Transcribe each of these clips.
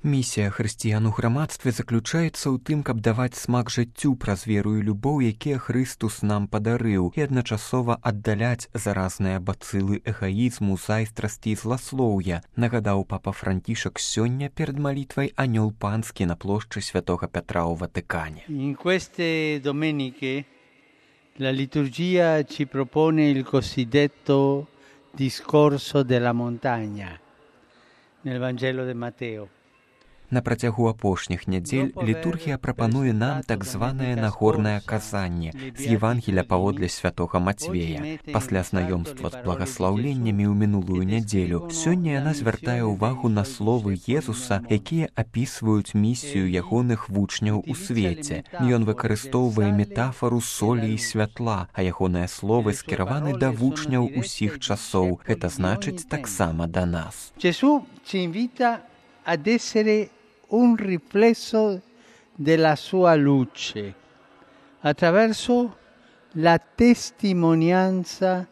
Місія хрысціян у грамадстве заключаецца ў тым, каб даваць смак жыццю праз веру і любоў, якія Хрыстус нам падарыў, і адначасова аддаляць заразныя бацылы эгаізму, зайздрасці і зласлоўя, нагадаў папа Францішак сёння перад малітвай Анёл Панскі на плошчы Святога Петра ў Ватыкане. In queste domeniche la liturgia ci propone il cosiddetto discorso della montagna nel Vangelo di Matteo. На працягу апошніх нядзель літургія прапануе нам так званае нагорнае казанне з Евангеля паводле святога Мацвея. Пасля знаёмства з благаслаўленнямі ў минулую нядзелю, сёння яна звяртае ўвагу на словы Езуса, якія апісваюць місію ягоных вучняў у свеце. Ён выкарыстоўвае метафору солі і святла, а ягоныя словы скіраваны да вучняў усіх часоў. Гэта значыць таксама да нас. Gesù ci invita ad essere un riflesso della sua luce attraverso la testimonianza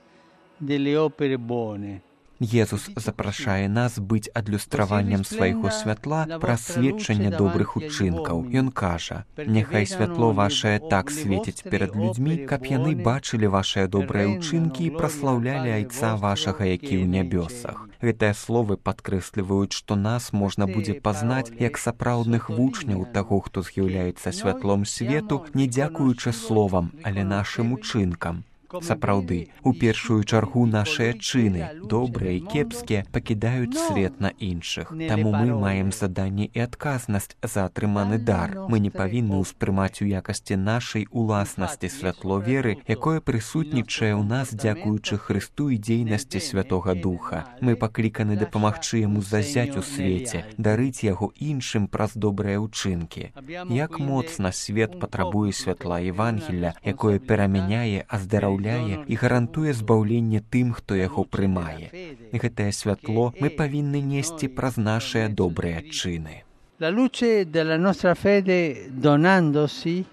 delle opere buone. Езус запрашае нас быць адлюстраваннем свайго святла праз сведчанне добрых учынкаў. Ён кажа: «Няхай святло вашае так свеціць перад людзьмі, каб яны бачылі вашыя добрыя ўчынкі і праслаўлялі Айца вашага, які ў нябёсах». Гэтыя словы падкрэсліваюць, што нас можна будзе пазнаць як сапраўдных вучняў таго, хто з'яўляецца святлом свету, не дзякуючы словам, але нашым учынкам. Сапраўды, у першую чаргу нашыя чыны, добрыя і кепскія, пакідаюць след на іншых. Таму мы маем заданне і адказнасць за атрыманы дар. Мы не павінны ўспрымаць у якасці нашай уласнасці святло веры, якое прысутнічае ў нас дзякуючы Хрысту і дзейнасці Святога Духа. Мы пакліканы дапамагчы яму зазяць у свеце, дарыць яго іншым праз добрыя ўчынкі. Як моцна свет патрабуе святла Евангеля, якое перамяняе, аздараўляе і гарантуе збаўленне тым, хто яго прымае. Гэтае святло мы павінны несці праз нашыя добрыя чыны. La luce della nostra fede donandosi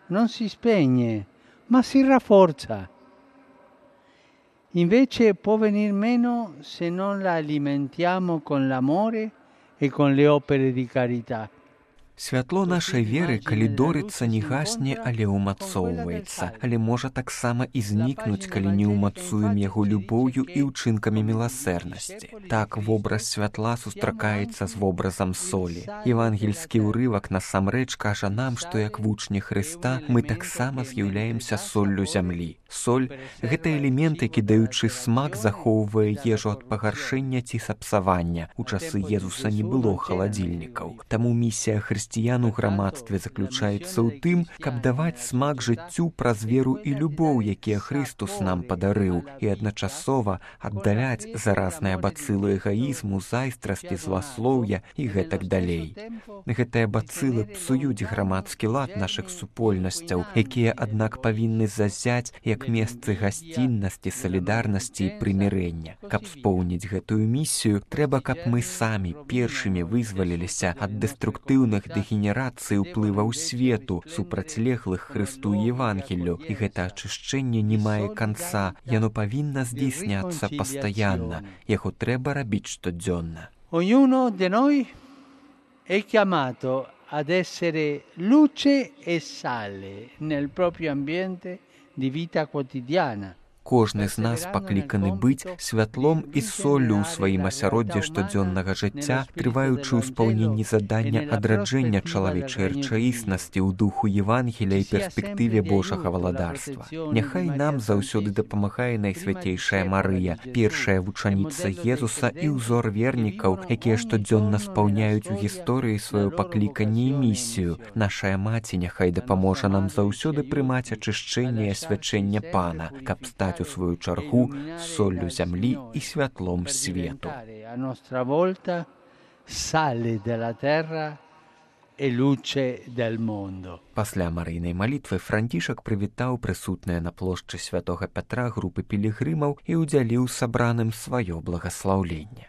non si spegne, ma si rafforza. Invece può venir meno se non la alimentiamo con l'amore e con le opere di carità. Святло нашай веры, калі дорыцца, не гасне, але ўмацоўваецца, але можа таксама і знікнуць, калі не ўмацуем яго любоўю і ўчынкамі міласэрнасці. Так вобраз святла сустракаецца з вобразам солі. Евангельскі ўрывак насамрэч кажа нам, што як вучні Хрыста мы таксама з'яўляемся соллю зямлі. Соль – гэта элемент, які, даючы смак, захоўвае ежу ад пагаршэння ці сапсавання. У часы Езуса не было халадзільнікаў. Таму місія хрысціян у грамадстве заключаецца ў тым, каб даваць смак жыццю праз веру і любоў, якія Хрыстус нам падарыў, і адначасова аддаляць заразныя бацылы эгаізму, зайздрасці, зласлоўя і гэтак далей. Гэтыя бацылы псуюць грамадскі лад нашых супольнасцяў, якія, аднак, павінны зазяць як месцы гасціннасці, салідарнасці і прымірэння. Каб споўніць гэтую місію, трэба, каб мы самі першымі вызваліліся ад дэструктыўных дэгенерацыі ўплываў свету, супрацьлеглых Хрысту і Евангелю. І гэта ачышчэнне не мае канца, яно павінна здзейсняцца пастаянна, яго трэба рабіць штодзённа. Ognuno di noi è chiamato ad essere luce e sale nel proprio ambiente di vita quotidiana. Кожны з нас пакліканы быць святлом і соллю ў сваім асяроддзі штодзённага жыцця, трываючы ў спаўненні задання адраджэння чалавечай рэчаіснасці ў духу Евангеля і перспектыве Божага валадарства. Няхай нам заўсёды дапамагае Найсвяцейшая Марыя, першая вучаніца Езуса і ўзор вернікаў, якія штодзённа спаўняюць у гісторыі сваё пакліканне і місію. Нашая маці няхай дапаможа нам заўсёды прымаць ачышчэнне і асвячэнне Пана, каб стаць у свою чаргу соллю зямлі і святлом свету. A nostra volta sale della terra e luce del mondo. Пасля марыйнай малітвы Францішак прывітаў прысутныя на плошчы Святога Пятра групы пілігрымаў і ўдзяліў сабраным сваё благаслаўленне.